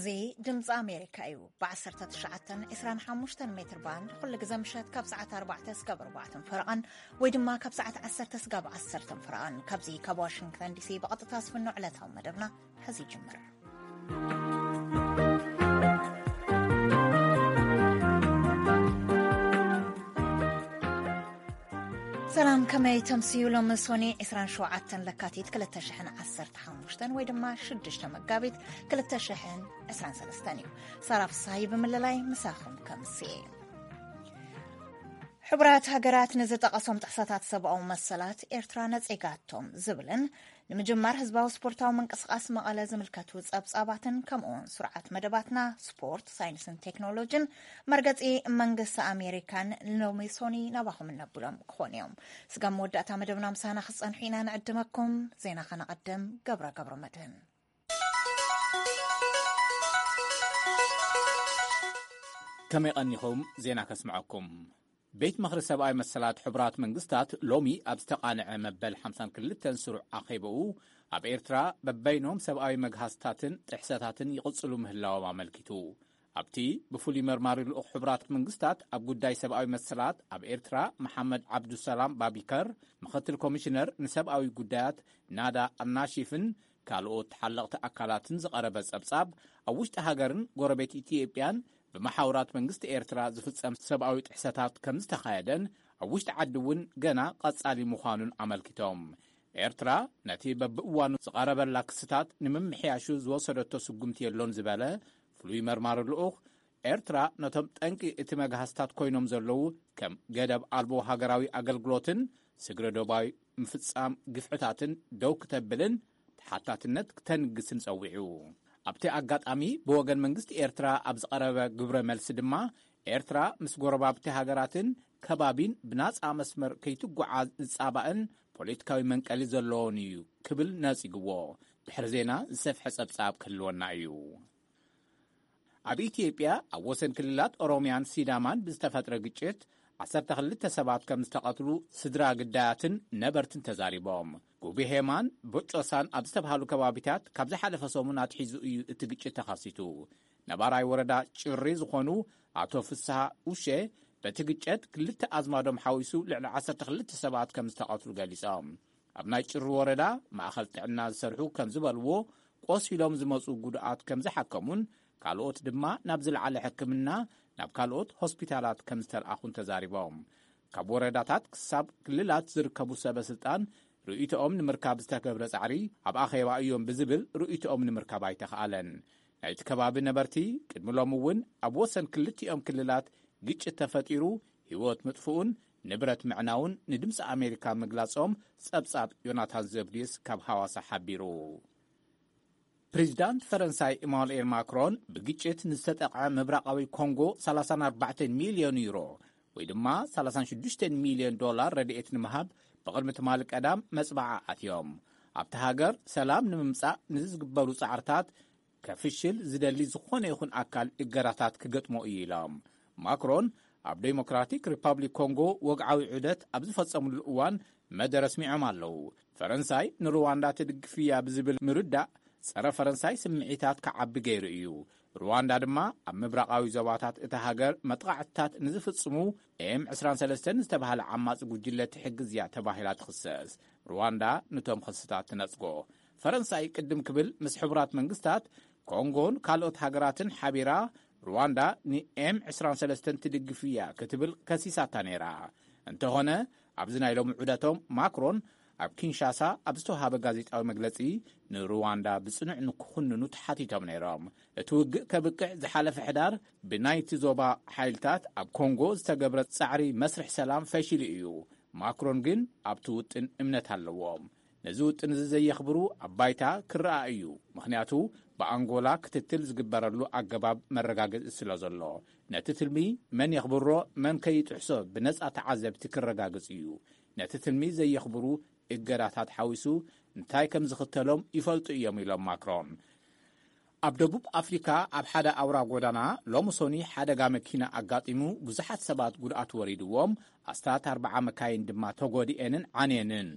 እዚ ድምፂ ኣሜሪካ እዩ። ብ19 25 ሜትር ባንድ ኩሉ ግዜ ምሸት ካብ ሰዓት ኣርባዕተ ስጋብ ኣርባዕተን ፈረቓን ወይ ድማ ካብ ሰዓት ዓሰርተ ስጋብ ዓሰርተን ፈረቓን ካብዚ ካብ ዋሽንግተን ዲሲ ብቐጥታ ዝፍኖ ዕለታዊ መደብና ሕዚ ይጅምር። ሰላም፣ ከመይ ተምስዩ? ሎሚ ሶኒ ዕስራን ሸውዓተን ለካቲት ክልተ ሽሕን ዓሰርተ ሓሙሽተን ወይ ድማ ሽዱሽተ መጋቢት ክልተ ሽሕን ዕስራን ሰለስተን እዩ። ሳራ ፍስሃይ ብምልላይ ምሳኹም ከምስየ። ሕቡራት ሃገራት ንዝጠቐሶም ጥሕሰታት ሰብኣዊ መሰላት ኤርትራ ነጺጋቶም ዝብልን ንምጅማር ህዝባዊ ስፖርታዊ ምንቅስቓስ መቐለ ዝምልከቱ ጸብጻባትን ከምኡውን ስርዓት መደባትና ስፖርት፣ ሳይንስን ቴክኖሎጂን መርገጺ መንግስቲ ኣሜሪካን ሎሚ ሶኒ ናባኹም እነብሎም ክኾኑ እዮም። ስጋብ መወዳእታ መደብና ምሳና ክትጸንሑ ኢና ንዕድመኩም። ዜና ከነቐድም። ገብረ ገብረ መድህን። ከመይ ቀኒኹም? ዜና ከስምዐኩም። ቤት ምኽሪ ሰብኣዊ መሰላት ሕቡራት መንግስታት ሎሚ ኣብ ዝተቓንዐ መበል ሓምሳን ክልተን ስሩዕ ኣኼባኡ፣ ኣብ ኤርትራ በበይኖም ሰብኣዊ መግሃስታትን ጥሕሰታትን ይቕጽሉ ምህላዎም ኣመልኪቱ። ኣብቲ ብፍሉይ መርማሪ ልኡኽ ሕቡራት መንግስታት ኣብ ጉዳይ ሰብኣዊ መሰላት ኣብ ኤርትራ መሓመድ ዓብዱሰላም ባቢከር፣ ምኽትል ኮሚሽነር ንሰብኣዊ ጉዳያት ናዳ ኣልናሺፍን ካልኦት ተሓለቕቲ ኣካላትን ዝቐረበ ጸብጻብ፣ ኣብ ውሽጢ ሃገርን ጎረቤት ኢትዮጵያን ብመሓውራት መንግስቲ ኤርትራ ዝፍጸም ሰብኣዊ ጥሕሰታት ከም ዝተኻየደን ኣብ ውሽጢ ዓዲ እውን ገና ቀጻሊ ምዃኑን ኣመልኪቶም። ኤርትራ ነቲ በብእዋኑ ዝቐረበላ ክስታት ንምምሕያሹ ዝወሰደቶ ስጉምቲ የሎን ዝበለ ፍሉይ መርማሪ ልኡኽ፣ ኤርትራ ነቶም ጠንቂ እቲ መግሃስታት ኮይኖም ዘለዉ ከም ገደብ ኣልቦ ሃገራዊ ኣገልግሎትን ስግረ ዶባዊ ምፍጻም ግፍዕታትን ደው ክተብልን ተሓታትነት ክተንግስን ጸዊዑ። ኣብቲ ኣጋጣሚ ብወገን መንግስቲ ኤርትራ ኣብ ዝቐረበ ግብረ መልሲ ድማ፣ ኤርትራ ምስ ጎረባብቲ ሃገራትን ከባቢን ብናጻ መስመር ከይትጓዓዝ ዝጻባእን ፖለቲካዊ መንቀሊ ዘለዎን እዩ ክብል ነጺግዎ። ድሕሪ ዜና ዝሰፍሐ ጸብጻብ ክህልወና እዩ። ኣብ ኢትዮጵያ ኣብ ወሰን ክልላት ኦሮሚያን ሲዳማን ብዝተፈጥረ ግጭት ዓሰርተ ክልተ ሰባት ከም ዝተቐትሉ ስድራ ግዳያትን ነበርትን ተዛሪቦም። ጉብሄማን ቦጮሳን ኣብ ዝተባሃሉ ከባቢታት ካብ ዝሓለፈ ሰሙን ኣትሒዙ እዩ እቲ ግጭት ተኸሲቱ። ነባራይ ወረዳ ጭሪ ዝኾኑ ኣቶ ፍስሃ ኡሼ፣ በቲ ግጭት ክልተ ኣዝማዶም ሓዊሱ ልዕሊ ዓሰርተ ክልተ ሰባት ከም ዝተቐትሉ ገሊጾም። ኣብ ናይ ጭሩ ወረዳ ማእኸል ጥዕና ዝሰርሑ ከም ዝበልዎ፣ ቆሲሎም ዝመፁ ጉድኣት ከም ዝሓከሙን ካልኦት ድማ ናብ ዝለዓለ ሕክምና ናብ ካልኦት ሆስፒታላት ከም ዝተልኣኹን ተዛሪቦም። ካብ ወረዳታት ክሳብ ክልላት ዝርከቡ ሰበ ስልጣን ርእይቶኦም ንምርካብ ዝተገብረ ጻዕሪ ኣብ ኣኼባ እዮም ብዝብል ርእይቶኦም ንምርካብ ኣይተኽኣለን። ናይቲ ከባቢ ነበርቲ ቅድሚ ሎሚ እውን ኣብ ወሰን ክልቲኦም ክልላት ግጭት ተፈጢሩ ህይወት ምጥፍኡን ንብረት ምዕናውን ንድምፂ ኣሜሪካ ምግላጾም ጸብጻብ ዮናታን ዘብድዩስ ካብ ሃዋሳ ሓቢሩ። ፕሬዚዳንት ፈረንሳይ ኢማኑኤል ማክሮን ብግጭት ንዝተጠቕዐ ምብራቓዊ ኮንጎ ሰላሳን ኣርባዕተን ሚልዮን ዩሮ ወይ ድማ ሰላሳን ሽዱሽተን ሚልዮን ዶላር ረድኤት ንምሃብ ብቕድሚ ትማሊ ቀዳም መጽባዓ ኣትዮም። ኣብቲ ሃገር ሰላም ንምምጻእ ንዝግበሩ ጻዕርታት ከፍሽል ዝደሊ ዝኾነ ይኹን ኣካል እገዳታት ክገጥሞ እዩ ኢሎም። ማክሮን ኣብ ዴሞክራቲክ ሪፓብሊክ ኮንጎ ወግዓዊ ዑደት ኣብ ዝፈጸምሉ እዋን መደረ ኣስሚዖም ኣለዉ። ፈረንሳይ ንሩዋንዳ ትድግፍ እያ ብዝብል ምርዳእ ጸረ ፈረንሳይ ስምዒታት ክዓቢ ገይሩ እዩ። ሩዋንዳ ድማ ኣብ ምብራቓዊ ዞባታት እታ ሃገር መጥቓዕትታት ንዝፍጽሙ ኤም ዕስራን ሰለስተን ዝተባህለ ዓማጺ ጉጅለ ትሕግዝ እያ ተባሂላ ትኽሰስ። ሩዋንዳ ንቶም ክስታት ትነጽጎ። ፈረንሳይ ቅድም ክብል ምስ ሕቡራት መንግስታት ኮንጎን ካልኦት ሃገራትን ሓቢራ ሩዋንዳ ንኤም ዕስራን ሰለስተን ትድግፍ እያ ክትብል ከሲሳታ ነይራ። እንተኾነ ኣብዚ ናይ ሎሚ ዑደቶም ማክሮን ኣብ ኪንሻሳ ኣብ ዝተዋሃበ ጋዜጣዊ መግለጺ ንሩዋንዳ ብጽኑዕ ንክኹንኑ ተሓቲቶም ነይሮም። እቲ ውግእ ከብቅዕ ዝሓለፈ ሕዳር ብናይቲ ዞባ ሓይልታት ኣብ ኮንጎ ዝተገብረ ጻዕሪ መስርሕ ሰላም ፈሺሉ እዩ። ማክሮን ግን ኣብቲ ውጥን እምነት ኣለዎም። ነዚ ውጥን እዚ ዘየኽብሩ ኣብ ባይታ ክረኣ እዩ። ምኽንያቱ ብኣንጎላ ክትትል ዝግበረሉ ኣገባብ መረጋገጺ ስለ ዘሎ። ነቲ ትልሚ መን የኽብሮ መን ከይጥሕሶ ብነጻ ተዓዘብቲ ክረጋግጽ እዩ። ነቲ ትልሚ ዘየኽብሩ እገዳታት ሓዊሱ እንታይ ከም ዝኽተሎም ይፈልጡ እዮም ኢሎም ማክሮን። ኣብ ደቡብ ኣፍሪካ ኣብ ሓደ ኣውራ ጎዳና ሎሚ ሶኒ ሓደጋ መኪና ኣጋጢሙ ብዙሓት ሰባት ጉድኣት ወሪድዎም፣ ኣስታት ኣርባዓ መካይን ድማ ተጎዲኤንን ዓንየንን።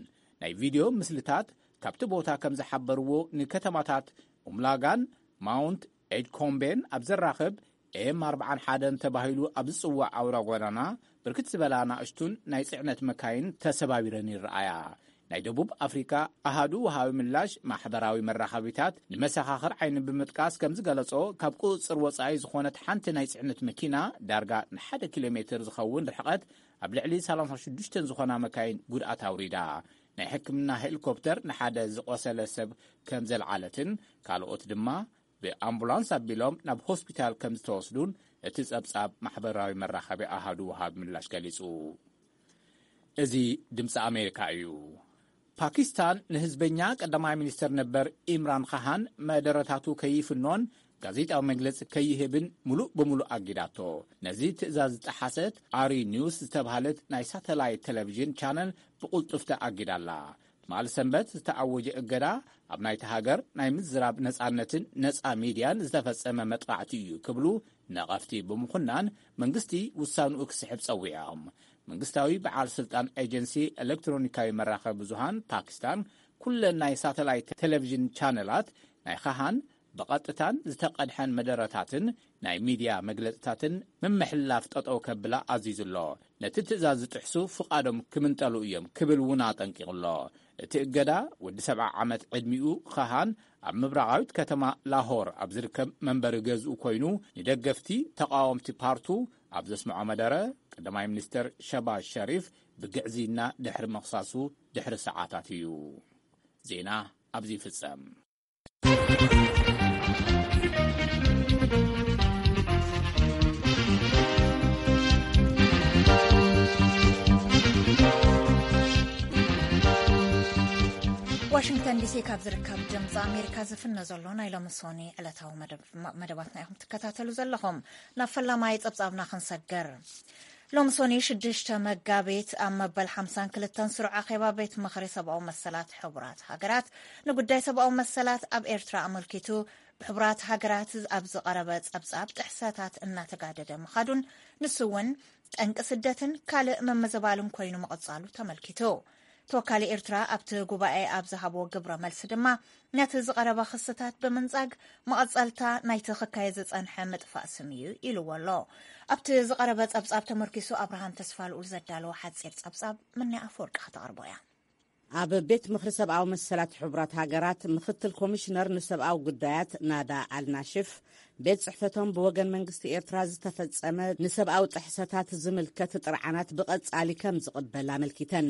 ናይ ቪድዮ ምስልታት ካብቲ ቦታ ከም ዝሓበርዎ ንከተማታት ኡምላጋን ማውንት ኤድኮምቤን ኣብ ዘራኽብ ኤም ኣርብዓን ሓደን ተባሂሉ ኣብ ዝጽዋዕ ኣውራ ጎዳና ብርክት ዝበላ ናእሽቱን ናይ ጽዕነት መካይን ተሰባቢረን ይረኣያ። ናይ ደቡብ ኣፍሪካ ኣሃዱ ወሃቢ ምላሽ ማሕበራዊ መራኸቢታት ንመሰኻኽር ዓይኒ ብምጥቃስ ከም ዝገለጾ፣ ካብ ቁጽጽር ወጻኢ ዝኾነት ሓንቲ ናይ ጽዕነት መኪና ዳርጋ ንሓደ ኪሎ ሜትር ዝኸውን ርሕቐት ኣብ ልዕሊ ሰላሳ ሽዱሽተ ዝኾና መካይን ጉድኣት ኣውሪዳ። ናይ ሕክምና ሄሊኮፕተር ንሓደ ዝቆሰለ ሰብ ከም ዘልዓለትን ካልኦት ድማ ብኣምቡላንስ ኣቢሎም ናብ ሆስፒታል ከም ዝተወስዱን እቲ ጸብጻብ ማሕበራዊ መራኸቢ ኣሃዱ ወሃቢ ምላሽ ገሊጹ። እዚ ድምፂ ኣሜሪካ እዩ። ፓኪስታን ንህዝበኛ ቀዳማይ ሚኒስትር ነበር ኢምራን ኻሃን መደረታቱ ከይፍኖን ጋዜጣዊ መግለጺ ከይህብን ሙሉእ ብሙሉእ ኣጊዳቶ። ነዚ ትእዛዝ ዝጠሓሰት ኣሪ ኒውስ ዝተባህለት ናይ ሳተላይት ቴሌቪዥን ቻነል ብቕልጡፍቲ ኣጊዳላ። ትማሊ ሰንበት ዝተኣወጀ እገዳ ኣብ ናይቲ ሃገር ናይ ምዝራብ ነጻነትን ነጻ ሚድያን ዝተፈጸመ መጥቓዕቲ እዩ ክብሉ ነቐፍቲ ብምኹናን መንግስቲ ውሳንኡ ክስሕብ ጸዊዖም። መንግስታዊ በዓል ስልጣን ኤጀንሲ ኤሌክትሮኒካዊ መራኸቢ ብዙሃን ፓኪስታን ኩለን ናይ ሳተላይት ቴሌቪዥን ቻነላት ናይ ኻሃን ብቐጥታን ዝተቐድሐን መደረታትን ናይ ሚድያ መግለጽታትን ምምሕልላፍ ጠጠው ከብላ ኣዚዙ ኣሎ። ነቲ ትእዛዝ ዝጥሕሱ ፍቓዶም ክምንጠሉ እዮም ክብል እውን ኣጠንቂቑ ኣሎ። እቲ እገዳ ወዲ ሰብዓ ዓመት ዕድሚኡ ኻሃን ኣብ ምብራቓዊት ከተማ ላሆር ኣብ ዝርከብ መንበሪ ገዝኡ ኮይኑ ንደገፍቲ ተቃወምቲ ፓርቱ ኣብ ዘስምዖ መደረ ቀዳማይ ሚኒስትር ሸባዝ ሸሪፍ ብግዕዝይና ድሕሪ ምኽሳሱ ድሕሪ ሰዓታት እዩ። ዜና ኣብዚ ይፍጸም። ዋሽንግተን ዲሲ ካብ ዝርከብ ድምፂ ኣሜሪካ ዝፍነ ዘሎ ናይ ሎሚ ሶኒ ዕለታዊ መደብ- መደባትና ኢኹም ትከታተሉ ዘለኹም። ናብ ፈላማይ ፀብፃብና ክንሰግር። ሎሚ ሶኒ ሽዱሽተ መጋቢት ኣብ መበል ሓምሳን ክልተን ስሩዕ ኣኼባ ቤት ምኽሪ ሰብኣዊ መሰላት ሕቡራት ሃገራት ንጉዳይ ሰብኣዊ መሰላት ኣብ ኤርትራ ኣመልኪቱ ብሕቡራት ሃገራት ኣብ ዝቐረበ ጸብጻብ ጥሕሰታት እናተጋደደ ምኻዱን ንሱ እውን ጠንቂ ስደትን ካልእ ምምዝባልን ኮይኑ ምቕጻሉ ተመልኪቱ። ተወካሊ ኤርትራ ኣብቲ ጉባኤ ኣብ ዝሃቦ ግብረ መልሲ ድማ ነቲ ዝቐረበ ክስታት ብምንጻግ መቐጸልታ ናይቲ ክካየ ዝጸንሐ ምጥፋእ ስም እዩ ኢልዎ ኣሎ። ኣብቲ ዝቐረበ ጸብጻብ ተመርኪሱ ኣብርሃም ተስፋልኡል ዘዳለዎ ሓጺር ጸብጻብ ምንያ ኣፈወርቂ ከተቕርቦ እያ። ኣብ ቤት ምኽሪ ሰብኣዊ መሰላት ሕቡራት ሃገራት ምኽትል ኮሚሽነር ንሰብኣዊ ጉዳያት ናዳ ኣልናሽፍ፣ ቤት ጽሕፈቶም ብወገን መንግስቲ ኤርትራ ዝተፈጸመ ንሰብኣዊ ጥሕሰታት ዝምልከት ጥርዓናት ብቐጻሊ ከም ዝቕበል ኣመልኪተን።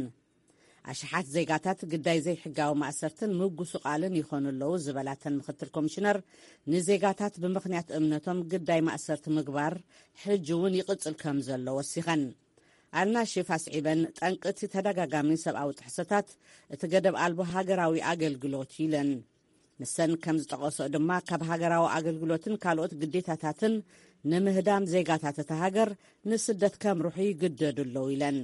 ኣሽሓት ዜጋታት ግዳይ ዘይሕጋዊ ማእሰርትን ምጉስቓልን ይኾኑ ኣለዉ ዝበላተን ምኽትል ኮሚሽነር፣ ንዜጋታት ብምኽንያት እምነቶም ግዳይ ማእሰርቲ ምግባር ሕጂ እውን ይቕጽል ከም ዘሎ ወሲኸን። ኣልናሽፍ ኣስዒበን፣ ጠንቂ እቲ ተደጋጋሚ ሰብኣዊ ጥሕሰታት እቲ ገደብ ኣልቦ ሃገራዊ ኣገልግሎት እዩ ኢለን። ንሰን ከም ዝጠቐስኦ ድማ፣ ካብ ሃገራዊ ኣገልግሎትን ካልኦት ግዴታታትን ንምህዳም ዜጋታት እታ ሃገር ንስደት ከምርሑ ይግደዱ ኣለዉ ኢለን።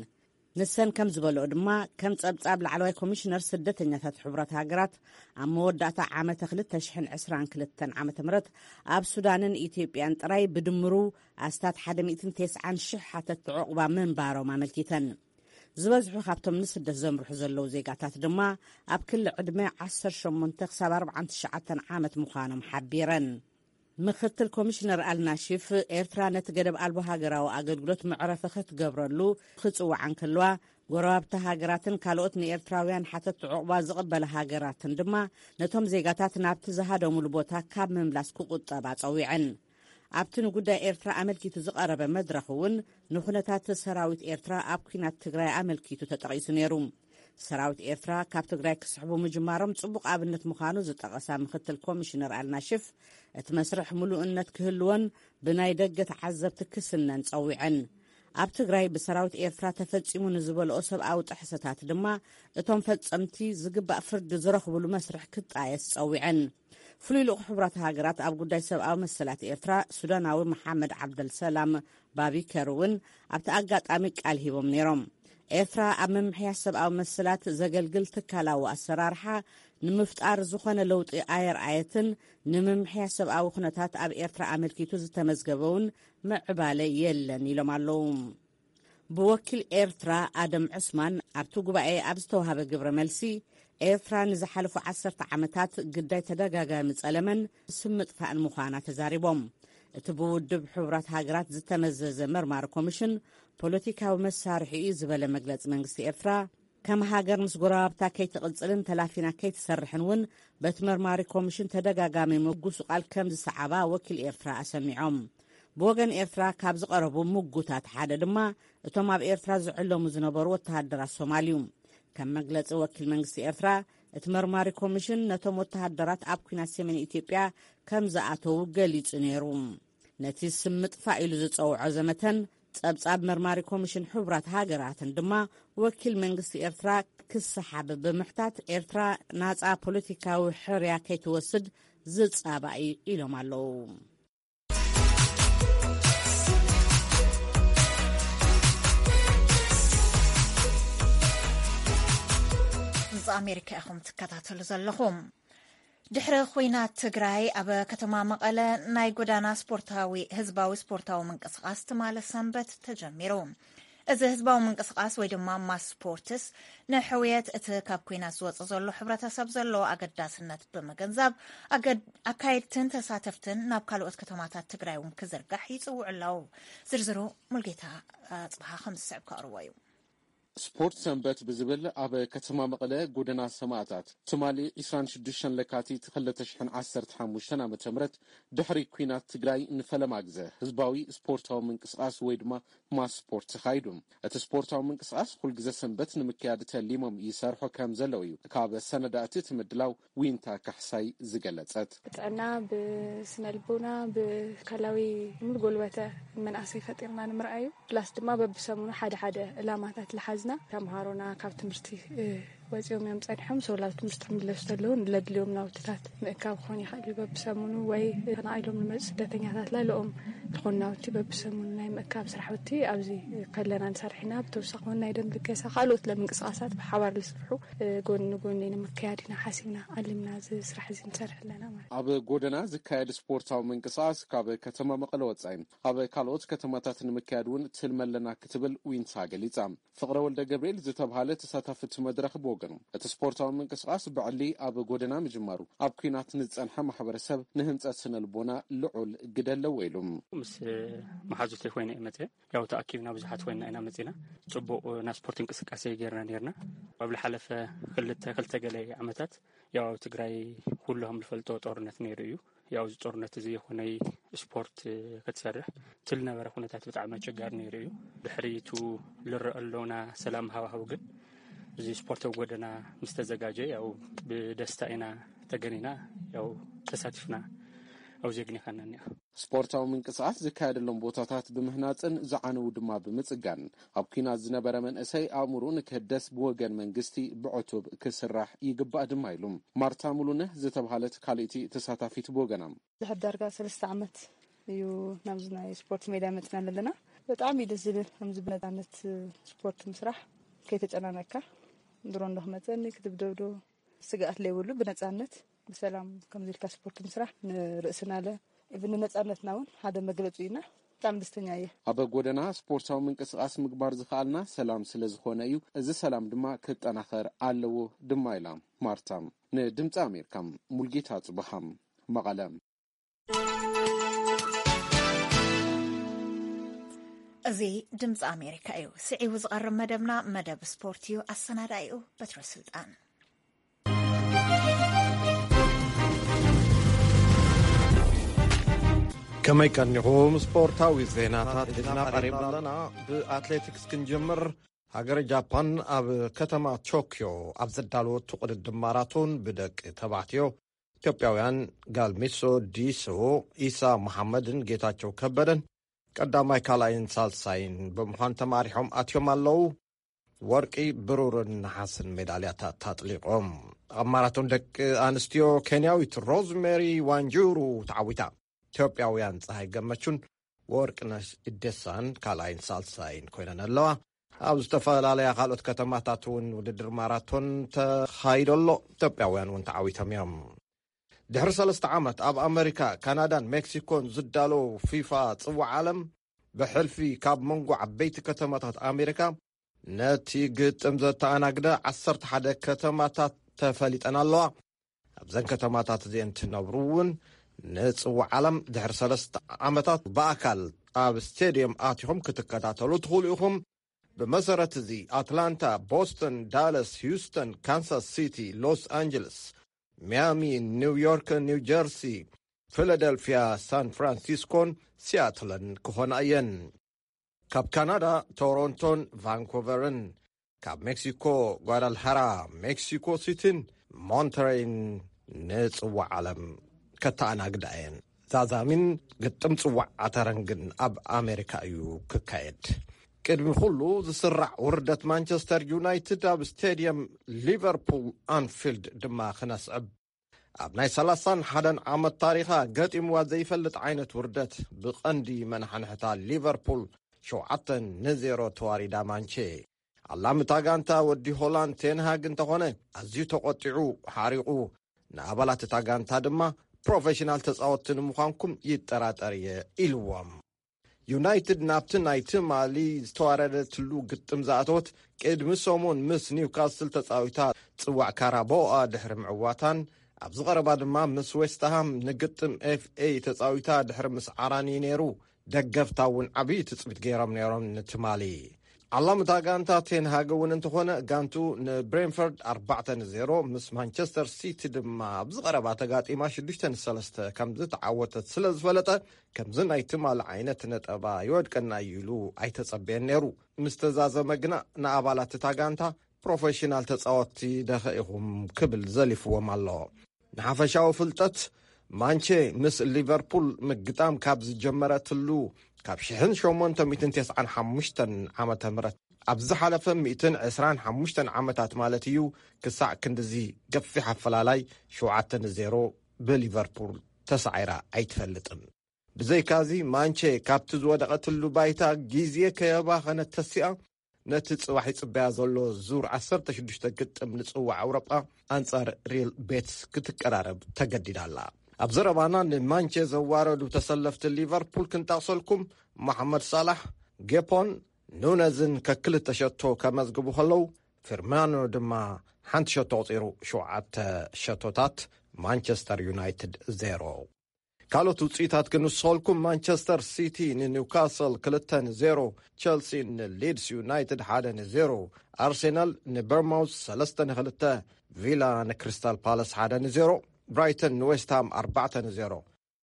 ንሰን ከም ዝበልኦ ድማ፣ ከም ጸብጻብ ላዕለዋይ ኮሚሽነር ስደተኛታት ሕቡራት ሃገራት፣ ኣብ መወዳእታ ዓመተ ክልተ ሽሕን ዕስራን ክልተን ዓመተ ምህረት ኣብ ሱዳንን ኢትዮጵያን ጥራይ ብድምሩ ኣስታት ሓደ ሚእትን ተስዓን ሽሕ ሓተትቲ ዑቕባ ምንባሮም ኣመልኪተን። ዝበዝሑ ካብቶም ንስደት ዘምርሑ ዘለዉ ዜጋታት ድማ ኣብ ክሊ ዕድመ ዓሰርተ ሸሞንተ ክሳብ ኣርባዓን ትሽዓተን ዓመት ምዃኖም ሓቢረን። ምኽትል ኮሚሽነር ኣልናሺፍ፣ ኤርትራ ነቲ ገደብ ኣልቦ ሃገራዊ ኣገልግሎት መዕረፊ ክትገብረሉ ክጽውዓ እንከለዋ፣ ጎረባብቲ ሃገራትን ካልኦት ንኤርትራውያን ሓተትቲ ዑቕባ ዝቕበላ ሃገራትን ድማ ነቶም ዜጋታት ናብቲ ዝሃደሙሉ ቦታ ካብ ምምላስ ክቑጠባ ጸዊዐን። ኣብቲ ንጉዳይ ኤርትራ ኣመልኪቱ ዝቐረበ መድረኽ እውን ንኹነታት ሰራዊት ኤርትራ ኣብ ኲናት ትግራይ ኣመልኪቱ ተጠቒሱ ነይሩ። ሰራዊት ኤርትራ ካብ ትግራይ ክስሕቡ ምጅማሮም ጽቡቕ ኣብነት ምዃኑ ዝጠቐሳ ምኽትል ኮሚሽነር ኣልናሽፍ፣ እቲ መስርሕ ምሉእነት ክህልዎን ብናይ ደገ ተዓዘብቲ ክስነን ጸዊዐን። ኣብ ትግራይ ብሰራዊት ኤርትራ ተፈጺሙ ንዝበልኦ ሰብኣዊ ጥሕሰታት ድማ እቶም ፈጸምቲ ዝግባእ ፍርዲ ዝረኽብሉ መስርሕ ክጣየስ ጸዊዐን። ፍሉይ ልኡኽ ሕቡራት ሃገራት ኣብ ጉዳይ ሰብኣዊ መሰላት ኤርትራ ሱዳናዊ መሓመድ ዓብደልሰላም ባቢከር እውን ኣብቲ ኣጋጣሚ ቃል ሂቦም ነይሮም። ኤርትራ ኣብ ምምሕያሽ ሰብኣዊ መሰላት ዘገልግል ትካላዊ ኣሰራርሓ ንምፍጣር ዝኾነ ለውጢ ኣየርኣየትን፣ ንምምሕያሽ ሰብኣዊ ኩነታት ኣብ ኤርትራ ኣመልኪቱ ዝተመዝገበ እውን ምዕባለ የለን ኢሎም ኣለዉ። ብወኪል ኤርትራ ኣደም ዑስማን ኣብቲ ጉባኤ ኣብ ዝተዋህበ ግብረ መልሲ፣ ኤርትራ ንዝሓለፉ ዓሰርተ ዓመታት ግዳይ ተደጋጋሚ ጸለመን ስም ምጥፋእን ምዃና ተዛሪቦም። እቲ ብውድብ ሕቡራት ሃገራት ዝተመዘዘ መርማሪ ኮሚሽን ፖለቲካዊ መሳርሒ እዩ ዝበለ መግለጺ መንግስቲ ኤርትራ፣ ከም ሃገር ምስ ጎረባብታ ከይትቕጽልን ተላፊና ከይትሰርሕን እውን በቲ መርማሪ ኮሚሽን ተደጋጋሚ ምጉስቓል ከም ዝሰዓባ ወኪል ኤርትራ ኣሰሚዖም። ብወገን ኤርትራ ካብ ዝቐረቡ ምጉታት ሓደ ድማ እቶም ኣብ ኤርትራ ዝዕለሙ ዝነበሩ ወተሃደራት ሶማል እዩ። ከም መግለጺ ወኪል መንግስቲ ኤርትራ፣ እቲ መርማሪ ኮሚሽን ነቶም ወተሃደራት ኣብ ኲናት ሰሜን ኢትዮጵያ ከም ዝኣተዉ ገሊጹ ነይሩ። ነቲ ስም ምጥፋእ ኢሉ ዝጸውዖ ዘመተን ጸብጻብ መርማሪ ኮሚሽን ሕቡራት ሃገራትን ድማ ወኪል መንግስቲ ኤርትራ ክሰሓብ ብምሕታት፣ ኤርትራ ናጻ ፖለቲካዊ ሕርያ ከይትወስድ ዝጻባእ እዩ ኢሎም ኣለዉ። ድምፂ ኣሜሪካ ኢኹም ትከታተሉ ዘለኹም። ድሕሪ ኹናት ትግራይ፣ ኣብ ከተማ መቐለ ናይ ጎዳና ስፖርታዊ፣ ህዝባዊ ስፖርታዊ ምንቅስቓስ ትማሊ ሰንበት ተጀሚሩ። እዚ ህዝባዊ ምንቅስቓስ ወይ ድማ ማስ ስፖርትስ፣ ንሕውየት እቲ ካብ ኲናት ዝወጽእ ዘሎ ሕብረተሰብ ዘለዎ ኣገዳስነት ብምግንዛብ፣ ኣገድ-፣ ኣካየድትን ተሳተፍትን ናብ ካልኦት ከተማታት ትግራይ እውን ክዝርጋሕ ይጽውዑ ኣለዉ። ዝርዝሩ ሙልጌታ ኣጽብሃ ከም ዝስዕብ ከቕርቦ እዩ። ስፖርት ሰንበት ብዝብል ኣብ ከተማ መቐለ ጎደና ሰማእታት ትማሊ ዕስራን ሽዱሽተን ለካቲት ክልተ ሽሕን ዓሰርተ ሓሙሽተን ዓመተ ምህረት ድሕሪ ኲናት ትግራይ ንፈለማ ግዘ ህዝባዊ ስፖርታዊ ምንቅስቓስ ወይ ድማ ማስ ስፖርት ተኻይዱ። እቲ ስፖርታዊ ምንቅስቓስ ኩልግዘ ሰንበት ንምክያድ ተሊሞም ይሰርሑ ከም ዘለዉ እዩ ካብ ሰነዳእቲ እቲ ምድላው ዊንታ ካሕሳይ ዝገለጸት። ብጥዕና፣ ብስነልቦና፣ ብካላዊ ሙሉ ጎልበተ መናእሰይ ፈጢርና ንምርኣዩ። ፕላስ ድማ በብሰሙኑ ሓደ ሓደ ዕላማታት ልሓዝና ተምሃሮና ካብ ትምህርቲ፣ እ፣ ወፂኦም እዮም ፀኒሖም። ሰው ላብ ትምህርቲ ክምለሱ ተለዉ ለድልዮም ናውትታት ምእካብ ክኾን ይኽእል እዩ። በብሰሙኑ ወይ ተፈናቒሎም ንመፁ ስደተኛታት ላለኦም ዝኾኑ ናውቲ በብሰሙኑ ናይ ምእካብ ስራሕቲ ኣብዚ ከለና ንሰርሕ ኢና። ብተወሳኺ እውን ናይ ደም ልገሳ ካልኦት ለምንቅስቃሳት ብሓባር ዝስርሑ፣ እ፣ ጎኒ ንጎኒ ንምክያድ ኢና ሓሲብና ኣሊምና እዚ ስራሕ እዚ ንሰርሕ ኣለና ማለት እዩ። ኣብ ጎደና ዝካየድ ስፖርታዊ ምንቅስቃስ ካብ ከተማ መቐለ ወፃኢ ኣብ ካልኦት ከተማታት ንምክያድ እውን ትልሚ ኣለና ክትብል ዊንታ ገሊፃ። ፍቕረ ወልደ ገብርኤል ዝተብሃለ ተሳታፊ እቲ መድረኽ ብወገኑ፣ እቲ ስፖርታዊ ምንቅስቃስ ብዕሊ ኣብ ጎደና ምጅማሩ ኣብ ኲናት ንዝጸንሐ ማሕበረሰብ ንህንጸት ስነ ልቦና ልዑል ግደ ኣለዎ ኢሉ። ምስ መሓዙተይ ኮይነ እየ መጽየ። ያው ተኣኪብና ብዙሓት ኮይና ኢና መጺና። ጽቡቕ ናይ ስፖርት እንቅስቃሴ ጌርና ኔርና። ኣብ ዝሓለፈ ክልተ፣ ክልተ ገለ ዓመታት ያው ኣብ ትግራይ ኩሉ ከም ዝፈልጦ ጦርነት ነይሩ እዩ። ያው እዚ ጦርነት እዚ ይኹነይ ስፖርት ክትሰርሕ እቲ ዝነበረ ኩነታት ብጣዕሚ ኣቸጋሪ ነይሩ እዩ። ድሕሪቱ ዝረአ ኣሎና ሰላም ሃዋህው ግን እዚ ስፖርታዊ ጎደና ምስ ተዘጋጀ ያው ብደስታ ኢና ተገኒና ያው ተሳቲፍና ኣብዚ ኣግኒኻና እኒኣ። ስፖርታዊ ምንቅስቃስ ዝካየደሎም ቦታታት ብምህናፅን ዝዓነዉ ድማ ብምፅጋን ኣብ ኲናት ዝነበረ መንእሰይ ኣእምሩ ንክህደስ ብወገን መንግስቲ ብዕቱብ ክስራሕ ይግባእ ድማ ኢሉ። ማርታ ሙሉነህ ዝተብሃለት ካልእቲ ተሳታፊት ብወገና፣ ድሕር ዳርጋ ሰለስተ ዓመት እዩ ናብዚ ናይ ስፖርት ሜዳ መፅና ዘለና። ብጣዕሚ እዩ ደስ ዝብል ከምዚ ብነፃነት ስፖርት ምስራሕ፣ ከይተጨናነቅካ ድሮ እንዶ ክመፀኒ ክትብደብዶ ስግኣት ለይብሉ ብነፃነት ብሰላም ከምዚ ኢልካ ስፖርት ምስራሕ ንርእስና ለ ኢቭን ንነፃነትና እውን ሓደ መግለፂ እዩና። ብጣዕሚ ደስተኛ እየ። ኣብ ጎደና ስፖርታዊ ምንቅስቃስ ምግባር ዝኸኣልና ሰላም ስለ ዝኾነ እዩ። እዚ ሰላም ድማ ክጠናኸር ኣለዎ ድማ ኢላ ማርታ። ንድምፂ ኣሜሪካ ሙልጌታ ጽብሃ መቐለ። እዚ ድምፂ ኣሜሪካ እዩ። ስዒቡ ዝቐርብ መደብና መደብ ስፖርት እዩ። ኣሰናዳኢኡ በትረ ስልጣን። ከመይ ቀኒኹም? ስፖርታዊ ዜናታት ሒዝና ቀሪብና ኣለና። ብኣትሌቲክስ ክንጅምር። ሃገረ ጃፓን ኣብ ከተማ ቶክዮ ኣብ ዘዳለወቱ ቅድድም ማራቶን ብደቂ ተባዕትዮ፣ ኢትዮጵያውያን ጋልሚሶ ዲሶ፣ ኢሳ መሓመድን ጌታቸው ከበደን ቀዳማይ፣ ካልኣይን ሳልሳይን ብምዃን ተማሪሖም ኣትዮም ኣለዉ። ወርቂ፣ ብሩርን ነሓስን ሜዳልያታት ኣጥሊቖም። ኣብ ማራቶን ደቂ ኣንስትዮ፣ ኬንያዊት ሮዝሜሪ ዋንጁሩ ተዓዊታ። ኢትዮጵያውያን ፀሃይ ገመቹን ወርቅነሽ እደሳን ካልኣይን ሳልሳይን ኮይነን ኣለዋ። ኣብ ዝተፈላለያ ካልኦት ከተማታት እውን ውድድር ማራቶን ተኻይዶ ኣሎ። ኢትዮጵያውያን እውን ተዓዊቶም እዮም። ድሕሪ ሰለስተ ዓመት ኣብ ኣመሪካ፣ ካናዳን ሜክሲኮን ዝዳለው ፊፋ ጽዋዕ ዓለም፣ ብሕልፊ ካብ መንጎ ዓበይቲ ከተማታት ኣሜሪካ ነቲ ግጥም ዘተኣናግደ ዓሰርተ ሓደ ከተማታት ተፈሊጠን ኣለዋ። ኣብዘን ከተማታት እዚአን ትነብሩ እውን ንጽዋዕ ዓለም ድሕሪ ሰለስተ ዓመታት ብኣካል ኣብ ስቴድየም ኣቲኹም ክትከታተሉ ትኽእሉ ኢኹም። ብመሰረት እዚ ኣትላንታ፣ ቦስተን፣ ዳለስ፣ ሂውስተን፣ ካንሳስ ሲቲ፣ ሎስ ኣንጀለስ፣ ሚያሚ፣ ኒውዮርክ፣ ኒው ጀርሲ፣ ፊላደልፊያ፣ ሳን ፍራንሲስኮን ሲያትልን ክኾና እየን። ካብ ካናዳ ቶሮንቶን ቫንኮቨርን፣ ካብ ሜክሲኮ ጓዳልሃራ፣ ሜክሲኮ ሲቲን ሞንተሬይን ንጽዋዕ ዓለም ከተኣናግዳ እየን። ዛዛሚን ግጥም ጽዋዕ ዓተረን ግን ኣብ ኣሜሪካ እዩ ክካየድ። ቅድሚ ኩሉ ዝስራዕ ውርደት ማንቸስተር ዩናይትድ ኣብ ስቴድየም ሊቨርፑል ኣንፊልድ ድማ ክነስዕብ። ኣብ ናይ ሰላሳን ሓደን ዓመት ታሪኻ ገጢምዋ ዘይፈልጥ ዓይነት ውርደት ብቐንዲ መናሕንሕታ ሊቨርፑል ሸውዓተ ንዜሮ ተዋሪዳ ማንቼ። ኣላሚ እታ ጋንታ ወዲ ሆላንድ ቴንሃግ እንተኾነ ኣዝዩ ተቖጢዑ ሓሪቑ፣ ንኣባላት እታ ጋንታ ድማ ፕሮፌሽናል ተጻወትቲ ንምዃንኩም ይጠራጠር እየ ኢልዎም። ዩናይትድ ናብቲ ናይ ትማሊ ዝተዋረደትሉ ግጥም ዝኣተወት ቅድሚ ሰሙን ምስ ኒውካስል ተጻዊታ ጽዋዕ ካራቦኣ ድሕሪ ምዕዋታን ኣብዚ ቀረባ ድማ ምስ ዌስትሃም ንግጥም ኤፍ ኤ ተጻዊታ ድሕሪ ምስዓራን እዩ ነይሩ። ደገፍታ እውን ዓብዪ ትጽቢት ገይሮም ነይሮም ንትማሊ። ዓላምታ ጋንታ ቴንሃግ እውን እንተኾነ ጋንቱ ንብሬንፈርድ ኣርባዕተ ንዜሮ ምስ ማንቸስተር ሲቲ ድማ ኣብዚ ቀረባ ተጋጢማ ሽዱሽተ ንሰለስተ ከም ዝተዓወተት ስለ ዝፈለጠ ከምዚ ናይ ትማሊ ዓይነት ነጠባ ይወድቀና እዩ ኢሉ ኣይተጸበየን ነይሩ። ምስ ተዛዘመ ግና ንኣባላት እታ ጋንታ ፕሮፌሽናል ተጻወትቲ ደኸ ኢኹም ክብል ዘሊፍዎም ኣሎ። ንሓፈሻዊ ፍልጠት ማንቼ ምስ ሊቨርፑል ምግጣም ካብ ዝጀመረትሉ ካብ ሽሕን ሸሞንተ ሚእትን ተስዓን ሓሙሽተን ዓመተ ምህረት ኣብ ዝሓለፈ ሚእትን ዕስራን ሓሙሽተን ዓመታት ማለት እዩ ክሳዕ ክንድዚ ገፊሕ ኣፈላላይ ሸውዓተ ንዜሮ ብሊቨርፑል ተሳዒራ ኣይትፈልጥን። ብዘይካዚ ማንቼ ካብቲ ዝወደቐትሉ ባይታ ግዜ ከየባኸነት ተሲኣ ነቲ ጽባሕ ይጽበያ ዘሎ ዙር ዓሰርተ ሽዱሽተ ግጥም ንጽዋዕ ኣውሮጳ ኣንጻር ሪል ቤትስ ክትቀራረብ ተገዲዳ ኣላ። ኣብ ዘረባና ንማንቼ ዘዋረዱ ተሰለፍቲ ሊቨርፑል ክንጠቕሰልኩም፣ መሓመድ ሳላሕ፣ ጌፖን ኑነዝን ከክልተ ሸቶ ከመዝግቡ ከለዉ፣ ፊርማኖ ድማ ሓንቲ ሸቶ ኣቑጺሩ። ሸውዓተ ሸቶታት፣ ማንቸስተር ዩናይትድ ዜሮ። ካልኦት ውጽኢታት ክንስኸልኩም፣ ማንቸስተር ሲቲ ንኒውካስል ክልተ ንዜሮ፣ ቸልሲ ንሊድስ ዩናይትድ ሓደ ንዜሮ፣ ኣርሴናል ንበርማውዝ ሰለስተ ንክልተ፣ ቪላ ንክሪስታል ፓላስ ሓደ ንዜሮ፣ ብራይተን ንዌስትሃም ኣርባዕተ ንዜሮ፣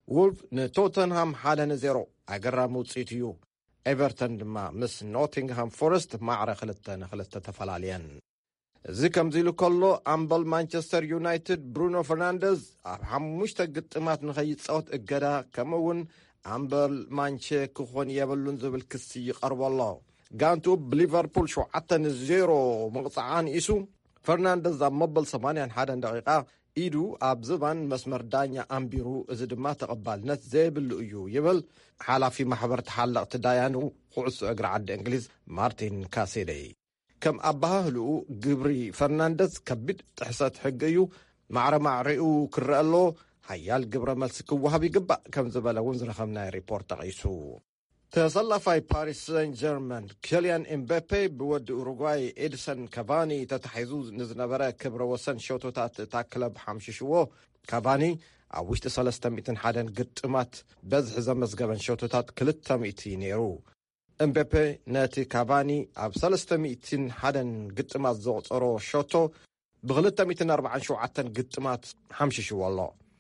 ውልቭ ንቶተንሃም ሓደ ንዜሮ። ኣገራሚ ውጽኢት እዩ። ኤቨርተን ድማ ምስ ኖቲንግሃም ፎረስት ማዕረ ክልተ ንክልተ ተፈላለየን። እዚ ከምዚ ኢሉ ከሎ፣ ኣምበል ማንቸስተር ዩናይትድ ብሩኖ ፈርናንደዝ ኣብ ሓሙሽተ ግጥማት ንኸይጻወት እገዳ፣ ከምኡ እውን ኣምበል ማንቼ ክኾን የብሉን ዝብል ክሲ ይቐርቦ ኣሎ። ጋንቱ ብሊቨርፑል ሸውዓተ ንዜሮ ምቕጻዓ ንኢሱ፣ ፈርናንደዝ ኣብ መበል ሰማንያን ሓደን ደቂቓ ኢዱ ኣብ ዝባን መስመር ዳኛ ኣንቢሩ፣ እዚ ድማ ተቐባልነት ዘይብሉ እዩ ይብል ሓላፊ ማሕበር ተሓለቕቲ ዳያኑ ኩዕሶ እግሪ ዓዲ እንግሊዝ ማርቲን ካሴደይ። ከም ኣበሃህልኡ፣ ግብሪ ፈርናንደዝ ከቢድ ጥሕሰት ሕጊ እዩ፣ ማዕረ ማዕሪኡ ክረአ ኣለዎ፣ ሓያል ግብረ መልሲ ክወሃብ ይግባእ ከም ዝበለ እውን ዝረኸብናዮ ሪፖርት ጠቒሱ። ተሰላፋይ ፓሪስ ሰን ጀርመን ኬልያን ኤምበፔ ብወዲ ኡሩጓይ ኤድሰን ካቫኒ ተታሒዙ ንዝነበረ ክብረ ወሰን ሸቶታት እታ ክለብ ሓምሽሽዎ። ካቫኒ ኣብ ውሽጢ ሰለስተ ሚእትን ሓደን ግጥማት በዝሒ ዘመዝገበን ሸቶታት ክልተ ሚእቲ ነይሩ። ኤምበፔ ነቲ ካቫኒ ኣብ ሰለስተ ሚእትን ሓደን ግጥማት ዘቑጸሮ ሸቶ ብክልተ ሚእትን ኣርባዓን ሸውዓተን ግጥማት ሓምሽሽዎ ኣሎ።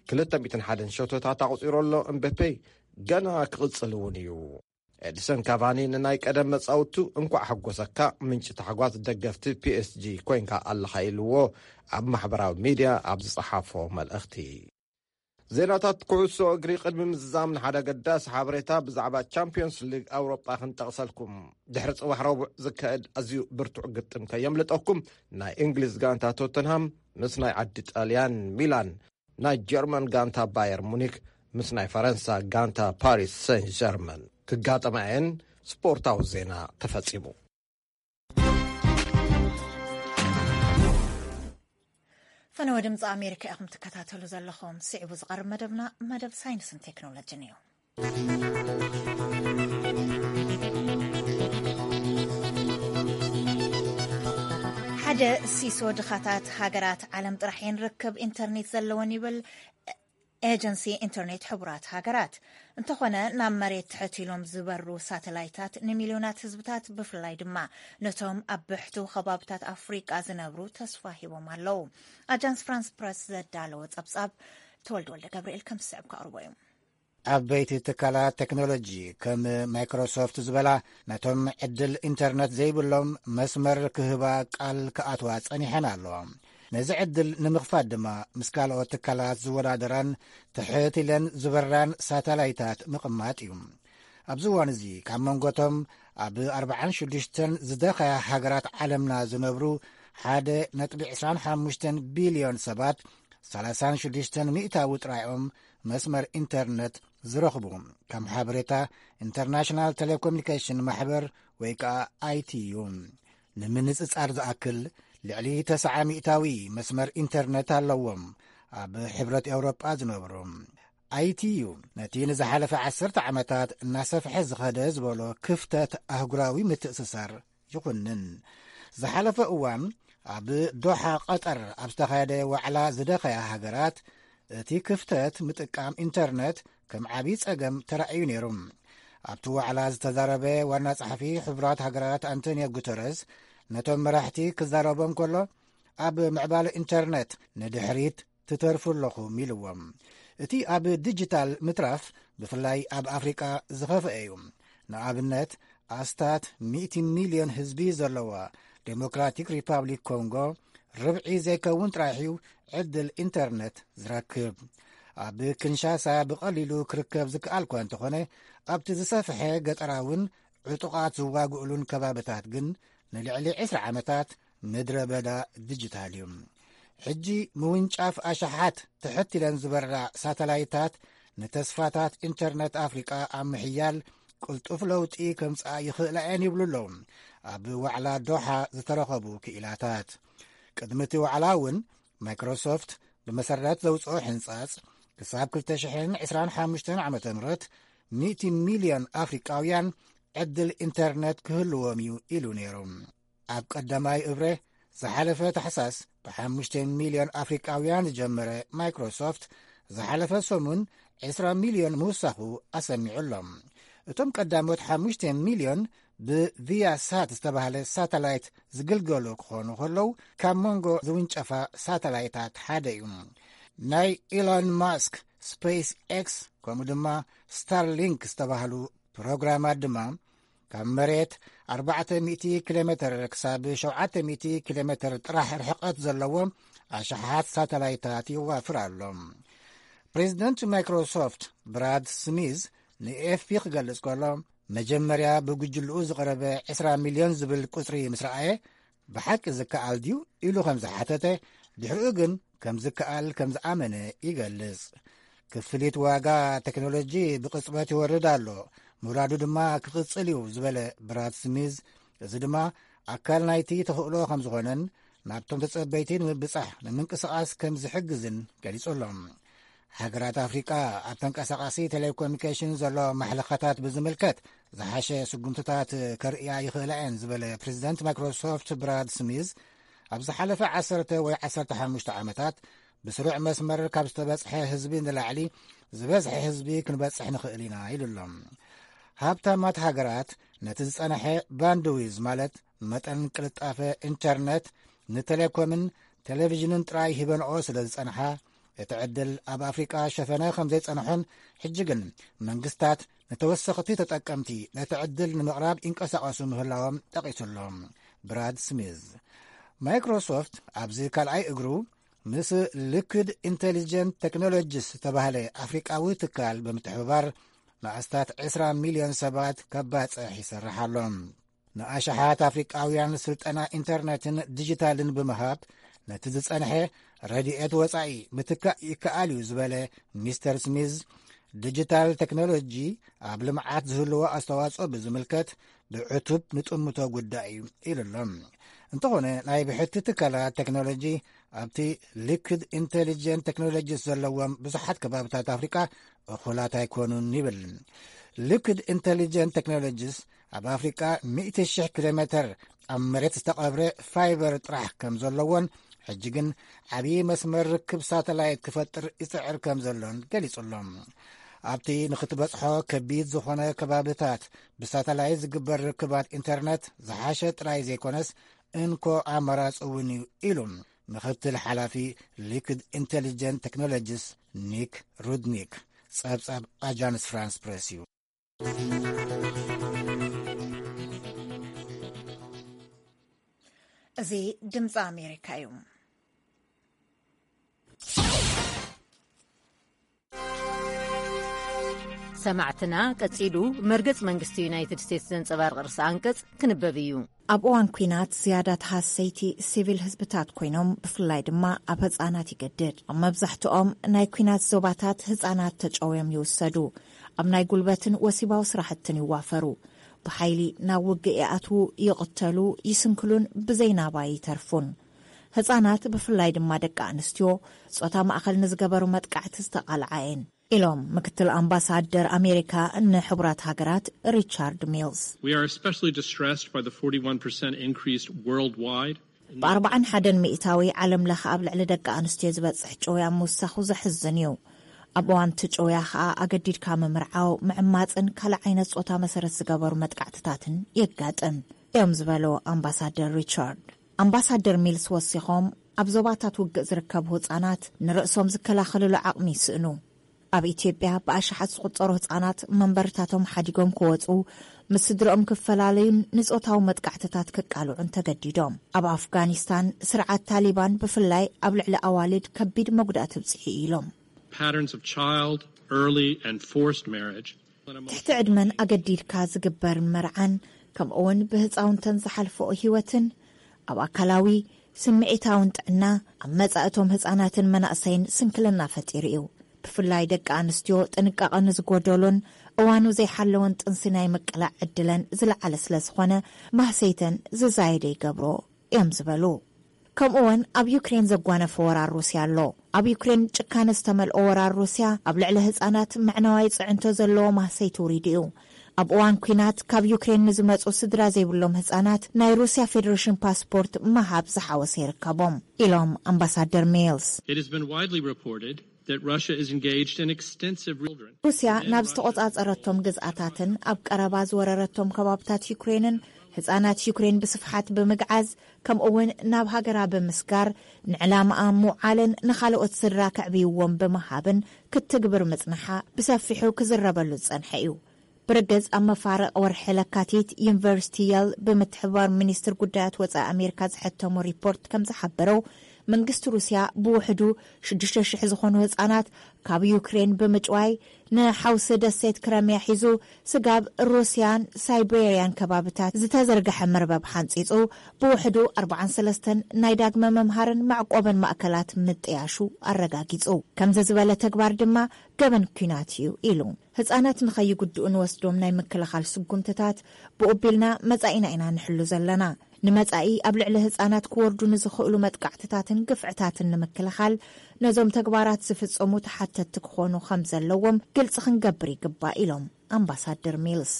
ክልተ ሚእትን ሓደን ሸቶታት ኣቑጺሩ ኣሎ። ኤምበፔ ገና ክቕጽል እውን እዩ። ኤድሰን ካቫኒ ንናይ ቀደም መጻውቱ እንኳዕ ሓጎሰካ፣ ምንጪ ታሕጓስ ደገፍቲ ፒኤስጂ ኮይንካ ኣለኻ ኢልዎ ኣብ ማሕበራዊ ሚድያ ኣብ ዝጸሓፎ መልእኽቲ። ዜናታት ኩዕሶ እግሪ ቅድሚ ምዝዛም ንሓደ ኣገዳሲ ሓበሬታ ብዛዕባ ቻምፒዮንስ ሊግ ኣውሮጳ ክንጠቕሰልኩም። ድሕሪ ጽባሕ ረቡዕ ዝካየድ ኣዝዩ ብርቱዕ ግጥም ከየምልጠኩም፣ ናይ እንግሊዝ ጋንታ ቶተንሃም ምስ ናይ ዓዲ ጣልያን ሚላን፣ ናይ ጀርመን ጋንታ ባየር ሙኒክ ምስ ናይ ፈረንሳ ጋንታ ፓሪስ ሰን ጀርመን ክጋጠማ እየን። ስፖርታዊ ዜና ተፈጺሙ። ፈነወ ድምፂ ኣሜሪካ ኢኹም ትከታተሉ ዘለኹም። ስዒቡ ዝቐርብ መደብና መደብ ሳይንስን ቴክኖሎጂን እዩ። ሓደ ሲሶ ድኻታት ሃገራት ዓለም ጥራሕ እየን ርክብ ኢንተርኔት ዘለወን ይብል ኤጀንሲ ኢንተርኔት ሕቡራት ሃገራት። እንተኾነ፣ ናብ መሬት ትሕት ኢሎም ዝበሩ ሳተላይታት ንሚልዮናት ህዝብታት፣ ብፍላይ ድማ ነቶም ኣብ ብሕቱ ከባብታት ኣፍሪቃ ዝነብሩ፣ ተስፋ ሂቦም ኣለዉ። ኣጃንስ ፍራንስ ፕረስ ዘዳለዎ ጸብጻብ ተወልደ ወልደ ገብርኤል ከም ዝስዕብ ከቕርቦ እዩ። ዓበይቲ ትካላት ቴክኖሎጂ ከም ማይክሮሶፍት ዝበላ፣ ነቶም ዕድል ኢንተርነት ዘይብሎም መስመር ክህባ ቃል ክኣትዋ ጸኒሐን ኣለዋ። ነዚ ዕድል ንምኽፋት ድማ ምስ ካልኦት ትካላት ዝወዳደራን ትሕት ኢለን ዝበራን ሳተላይታት ምቕማጥ እዩ። ኣብዚ እዋን እዚ ካብ መንጎቶም ኣብ ኣርባዓን ሽዱሽተን ዝደኸያ ሃገራት ዓለምና ዝነብሩ ሓደ ነጥቢ ዕስራን ሓሙሽተን ቢልዮን ሰባት፣ ሰላሳን ሽዱሽተን ሚእታዊ ጥራዮም መስመር ኢንተርነት ዝረኽቡ፣ ከም ሓበሬታ ኢንተርናሽናል ቴሌኮሙኒኬሽን ማሕበር ወይ ከዓ ኣይቲዩ። ንምንጽጻር ዝኣክል፣ ልዕሊ ተስዓ ሚእታዊ መስመር ኢንተርነት ኣለዎም ኣብ ሕብረት ኤውሮጳ ዝነብሩ። ኣይቲዩ ነቲ ንዝሓለፈ ዓሰርተ ዓመታት እናሰፍሐ ዝኸደ ዝበሎ ክፍተት ኣህጉራዊ ምትእስሳር ይኹንን። ዝሓለፈ እዋን ኣብ ዶሓ ቀጠር ኣብ ዝተኻየደ ዋዕላ ዝደኸያ ሃገራት፣ እቲ ክፍተት ምጥቃም ኢንተርነት ከም ዓብዪ ጸገም ተራእዩ ነይሩ። ኣብቲ ዋዕላ ዝተዛረበ ዋና ጸሓፊ ሕቡራት ሃገራት ኣንቶኒዮ ጉተረስ፣ ነቶም መራሕቲ ክዛረቦም ከሎ፣ ኣብ ምዕባለ ኢንተርነት ንድሕሪት ትተርፉ ኣለኹም ኢልዎም። እቲ ኣብ ዲጂታል ምትራፍ ብፍላይ ኣብ ኣፍሪቃ ዝኸፍአ እዩ። ንኣብነት፣ ኣስታት ሚእቲ ሚልዮን ህዝቢ ዘለዋ ዴሞክራቲክ ሪፓብሊክ ኮንጎ፣ ርብዒ ዘይከውን ጥራሕ እዩ ዕድል ኢንተርነት ዝረክብ። ኣብ ክንሻሳ ብቐሊሉ ክርከብ ዝከኣል እኳ እንተኾነ፣ ኣብቲ ዝሰፍሐ ገጠራውን ዕጡቓት ዝዋግእሉን ከባብታት ግን ንልዕሊ ዕስራ ዓመታት ምድረ በዳ ዲጂታል እዩ። ሕጂ ምውንጫፍ ኣሽሓት ትሕት ኢለን ዝበራ ሳተላይታት ንተስፋታት ኢንተርነት ኣፍሪቃ ኣብ ምሕያል ቅልጡፍ ለውጢ ከምጽኣ ይኽእላ እየን ይብሉ ኣለዉ ኣብ ዋዕላ ዶሓ ዝተረኸቡ ክኢላታት። ቅድሚ እቲ ዋዕላ እውን ማይክሮሶፍት ብመሰረት ዘውፅኦ ሕንጻጽ ክሳብ ክልተ ሽሕን ዕስራን ሓሙሽተን ዓመተ ምህረት ሚእቲ ሚልዮን ኣፍሪቃውያን ዕድል ኢንተርነት ክህልዎም እዩ ኢሉ ነይሩ። ኣብ ቀዳማይ እብረ ዝሓለፈ ታሕሳስ ብሓሙሽተ ሚልዮን ኣፍሪቃውያን ዝጀመረ ማይክሮሶፍት ዝሓለፈ ሰሙን ዕስራ ሚልዮን ምውሳኹ ኣሰሚዑ ኣሎ። እቶም ቀዳሞት ሓሙሽተ ሚልዮን ብቪያ ሳት ዝተባህለ ሳተላይት ዝግልገሉ ክኾኑ ከለዉ ካብ መንጎ ዝውንጨፋ ሳተላይታት ሓደ እዩ። ናይ ኢሎን ማስክ ስፔስ ኤክስ ከምኡ ድማ ስታርሊንክ ዝተባህሉ ፕሮግራማት ድማ ካብ መሬት ኣርባዕተ ሚእቲ ኪሎ ሜትር ክሳብ ሸውዓተ ሚእቲ ኪሎ ሜትር ጥራሕ ርሕቀት ዘለዎ ኣሽሓት ሳተላይታት የዋፍር ኣሎ። ፕሬዚደንት ማይክሮሶፍት ብራድ ስሚዝ ንኤፍፒ ክገልጽ ከሎ፣ መጀመርያ ብጉጅልኡ ዝቐረበ ዕስራ ሚልዮን ዝብል ቁጽሪ ምስ ረኣየ፣ ብሓቂ ዝከኣል ድዩ ኢሉ ከም ዝሓተተ፣ ድሕሪኡ ግን ከም ዝከኣል ከም ዝኣመነ ይገልጽ። ክፍሊት ዋጋ ቴክኖሎጂ ብቕጽበት ይወርድ ኣሎ፣ ምውራዱ ድማ ክቕጽል እዩ ዝበለ ብራድ ስሚዝ፣ እዚ ድማ ኣካል ናይቲ ተኽእሎ ከም ዝኾነን ናብቶም ተጸበይቲ ንምብጻሕ ንምንቅስቓስ ከም ዝሕግዝን ገሊጹ ኣሎ። ሃገራት ኣፍሪቃ ኣብ ተንቀሳቓሲ ቴሌኮሙኒኬሽን ዘሎ ማሕለኻታት ብዝምልከት ዝሓሸ ስጉምትታት ከርእያ ይኽእላ እየን ዝበለ ፕሬዚደንት ማይክሮሶፍት ብራድ ስሚዝ፣ ኣብ ዝሓለፈ ዓሰርተ ወይ ዓሰርተ ሓሙሽተ ዓመታት ብስሩዕ መስመር ካብ ዝተበጽሐ ህዝቢ ንላዕሊ ዝበዝሐ ህዝቢ ክንበጽሕ ንኽእል ኢና ኢሉ ኣሎ። ሃብታማት ሃገራት ነቲ ዝጸንሐ ባንድዊዝ ማለት መጠን ቅልጣፈ ኢንተርነት ንቴሌኮምን ቴሌቪዥንን ጥራይ ሂበንኦ ስለ ዝጸንሓ፣ እቲ ዕድል ኣብ ኣፍሪቃ ሸፈነ ከም ዘይጸንሖን፣ ሕጂ ግን መንግስታት ንተወሰኽቲ ተጠቀምቲ ነቲ ዕድል ንምቕራብ ይንቀሳቐሱ ምህላዎም ጠቒሱ ኣሎ። ብራድ ስሚዝ። ማይክሮሶፍት ኣብዚ ካልኣይ እግሩ ምስ ሊኩድ ኢንቴሊጀንት ቴክኖሎጂስ ዝተባህለ ኣፍሪቃዊ ትካል ብምትሕብባር ንኣስታት ዕስራ ሚልዮን ሰባት ከባጽሕ ይሰርሕ ኣሎ። ንኣሽሓት ኣፍሪቃውያን ስልጠና ኢንተርነትን ዲጂታልን ብምሃብ ነቲ ዝጸንሐ ረድኤት ወጻኢ ምትካእ ይከኣል እዩ ዝበለ ሚስተር ስሚዝ፣ ዲጂታል ቴክኖሎጂ ኣብ ልምዓት ዝህልዎ ኣስተዋጽኦ ብዝምልከት ብዕቱብ ንጥምቶ ጉዳይ እዩ ኢሉ ኣሎ። እንተኾነ ናይ ብሕቲ ትካላት ቴክኖሎጂ ኣብቲ ሊኩድ ኢንቴሊጀንት ቴክኖሎጂስ ዘለዎም ብዙሓት ከባብታት ኣፍሪቃ እኹላት ኣይኮኑን ይብል። ሊኩድ ኢንቴሊጀንት ቴክኖሎጂስ ኣብ ኣፍሪቃ ሚእቲ ሽሕ ኪሎ ሜትር ኣብ መሬት ዝተቐብረ ፋይበር ጥራሕ ከም ዘለዎን፣ ሕጂ ግን ዓብዪ መስመር ርክብ ሳተላይት ክፈጥር ይጽዕር ከም ዘሎን ገሊጹ ኣሎ። ኣብቲ ንኽትበጽሖ ከቢድ ዝኾነ ከባብታት ብሳተላይት ዝግበር ርክባት ኢንተርነት ዝሓሸ ጥራይ ዘይኮነስ እንኮ ኣማራጺ እውን እዩ ኢሉ ምኽትል ሓላፊ ሊኩድ ኢንቴሊጀንት ቴክኖሎጂስ ኒክ ሩድኒክ። ጸብጻብ ኣጃንስ ፍራንስ ፕሬስ እዩ። እዚ ድምፂ ኣሜሪካ እዩ። ሰማዕትና፣ ቀጺሉ መርገጽ መንግስቲ ዩናይትድ ስቴትስ ዘንጸባርቕ ርእሰ ኣንቀጽ ክንበብ እዩ። ኣብ እዋን ኲናት ዝያዳ ተሃሰይቲ ሲቪል ህዝብታት ኮይኖም፣ ብፍላይ ድማ ኣብ ህጻናት ይገድድ። ኣብ መብዛሕትኦም ናይ ኲናት ዞባታት ህጻናት ተጨውዮም ይውሰዱ፣ ኣብ ናይ ጉልበትን ወሲባዊ ስራሕትን ይዋፈሩ፣ ብሓይሊ ናብ ውግእ ይኣትዉ፣ ይቕተሉ፣ ይስንክሉን ብዘይ ናባ ይተርፉን። ህጻናት ብፍላይ ድማ ደቂ ኣንስትዮ ጾታ ማእኸል ንዝገበሩ መጥቃዕቲ ዝተቓልዓ እየን ኢሎም ምክትል ኣምባሳደር ኣሜሪካ ንሕቡራት ሃገራት ሪቻርድ ሚልስ። We are especially distressed by the forty-one percent increase worldwide. ብ41 ሚእታዊ ዓለም ለኸ ኣብ ልዕሊ ደቂ ኣንስትዮ ዝበፅሕ ጨውያ ምውሳኹ ዘሕዝን እዩ። ኣብ እዋን እቲ ጨውያ ኸኣ ኣገዲድካ ምምርዓው፣ ምዕማፅን ካልእ ዓይነት ጾታ መሰረት ዝገበሩ መጥቃዕትታትን የጋጥም እዮም ዝበሉ ኣምባሳደር ሪቻርድ። ኣምባሳደር ሚልስ ወሲኾም፣ ኣብ ዞባታት ውግእ ዝርከቡ ህጻናት ንርእሶም ዝከላኸልሉ ዓቕሚ ይስእኑ። ኣብ ኢትዮጵያ ብኣሽሓት ዝቑጸሩ ህጻናት መንበርታቶም ሓዲጎም ክወጹ፣ ምስ ስድርኦም ክፈላለዩን ንጾታዊ መጥቃዕትታት ክቃልዑን ተገዲዶም። ኣብ ኣፍጋኒስታን ስርዓት ታሊባን ብፍላይ ኣብ ልዕሊ ኣዋልድ ከቢድ መጉዳእቲ ኣብጺሑ እዩ ኢሎም። Patterns of child, early and forced marriage ትሕቲ ዕድመን ኣገዲድካ ዝግበር መርዓን ከምኡውን ብህፃውንተን ዝሓልፈኦ ህይወትን ኣብ ኣካላዊ፣ ስምዒታውን ጥዕና ኣብ መጻእቶም ህፃናትን መናእሰይን ስንክልና ፈጢሩ እዩ። ብፍላይ ደቂ ኣንስትዮ ጥንቃቐ ንዝጎደሎን እዋኑ ዘይሓለወን ጥንሲ ናይ ምቅላዕ ዕድለን ዝለዓለ ስለ ዝኾነ ማህሰይተን ዝዛየደ ይገብሮ እዮም ዝበሉ። ከምኡውን ኣብ ዩክሬን ዘጓነፈ ወራር ሩስያ ኣሎ። ኣብ ዩክሬን ጭካነ ዝተመልኦ ወራር ሩስያ ኣብ ልዕሊ ህጻናት መዕነዋይ ጽዕንቶ ዘለዎ ማህሰይቲ ውሪዱ እዩ። ኣብ እዋን ኲናት ካብ ዩክሬን ንዝመጹ ስድራ ዘይብሎም ህጻናት ናይ ሩስያ ፌደሬሽን ፓስፖርት ምሃብ ዝሓወሰ ይርከቦም ኢሎም ኣምባሳደር ሜልስ። It has been widely reported that Russia is engaged in extensive children ሩስያ ናብ ዝተቖጻጸረቶም ግዝኣታትን ኣብ ቀረባ ዝወረረቶም ከባብታት ዩክሬንን ህጻናት ዩክሬን ብስፍሓት ብምግዓዝ ከምኡውን ናብ ሃገራ ብምስጋር ንዕላማኣ ምውዓልን ንኻልኦት ስድራ ከዕብይዎም ብምሃብን ክትግብር ምጽንሓ ብሰፊሑ ክዝረበሉ ዝጸንሐ እዩ። ብርግጽ ኣብ መፋርቕ ወርሒ ለካቲት ዩኒቨርሲቲ የል ብምትሕብባር ሚኒስትር ጉዳያት ወጻኢ ኣሜሪካ ዝሐተሞ ሪፖርት ከም ዝሓበረው መንግስቲ ሩስያ ብውሕዱ ሽዱሽተ ሽሕ ዝኾኑ ህጻናት ካብ ዩክሬን ብምጭዋይ ንሓውሲ ደሴት ክረምያ ሒዙ ስጋብ ሩስያን ሳይቤርያን ከባብታት ዝተዘርግሐ መርበብ ሓንጺጹ ብውሕዱ ኣርባዓን ሰለስተን ናይ ዳግመ መምሃርን መዕቆብን ማእከላት ምጥያሹ ኣረጋጊጹ። ከምዚ ዝበለ ተግባር ድማ ገበን ኲናት እዩ ኢሉ። ህጻናት ንኸይጉድኡ ንወስዶም ናይ ምክልኻል ስጉምትታት ብኡቢልና መጻኢና ኢና ንሕሉ ዘለና። ንመጻኢ ኣብ ልዕሊ ህጻናት ክወርዱ ንዝኽእሉ መጥቃዕትታትን ግፍዕታትን ንምክልኻል ነዞም ተግባራት ዝፍጸሙ ተሓተትቲ ክኾኑ ከም ዘለዎም ግልጺ ክንገብር ይግባእ ኢሎም ኣምባሳደር ሚልስ።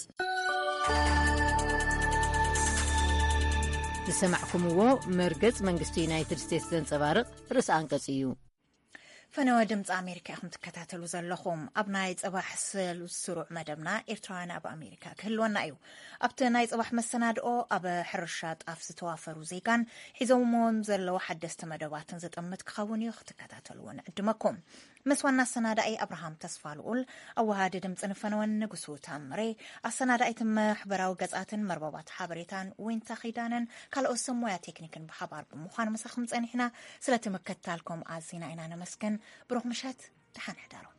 ዝሰማዕኩምዎ መርገጽ መንግስቲ ዩናይትድ ስቴትስ ዘንጸባርቕ ርእሲ ኣንቀጽ እዩ። ፈነወ ድምፂ ኣሜሪካ ኢኹም ትከታተሉ ዘለኹም። ኣብ ናይ ፅባሕ ስሩዕ መደብና ኤርትራውያን ኣብ ኣሜሪካ ክህልወና እዩ። ኣብቲ ናይ ፅባሕ መሰናድኦ ኣብ ሕርሻ ጣፍ ዝተዋፈሩ ዜጋን ሒዞምዎም ዘለዉ ሓደስቲ መደባትን ዝጥምት ክኸውን እዩ። ክትከታተልዎ ንዕድመኩም። ምስ ዋና ኣሰናዳኢ ኣብርሃም ተስፋ ልኡል፣ ኣወሃዲ ድምፂ ንፈነወን ንጉሱ ታምሬ፣ ኣሰናዳኢት ማሕበራዊ ገፃትን መርበባት ሓበሬታን ዊንታ ኺዳነን ካልኦት ሰብ ሞያ ቴክኒክን ብሓባር ብምዃን ምሳኹም ጸኒሕና። ስለቲ ምክትታልኩም ኣዚና ኢና ነመስግን። ብሩኽ ምሸት፣ ደሓን ሕደሩ።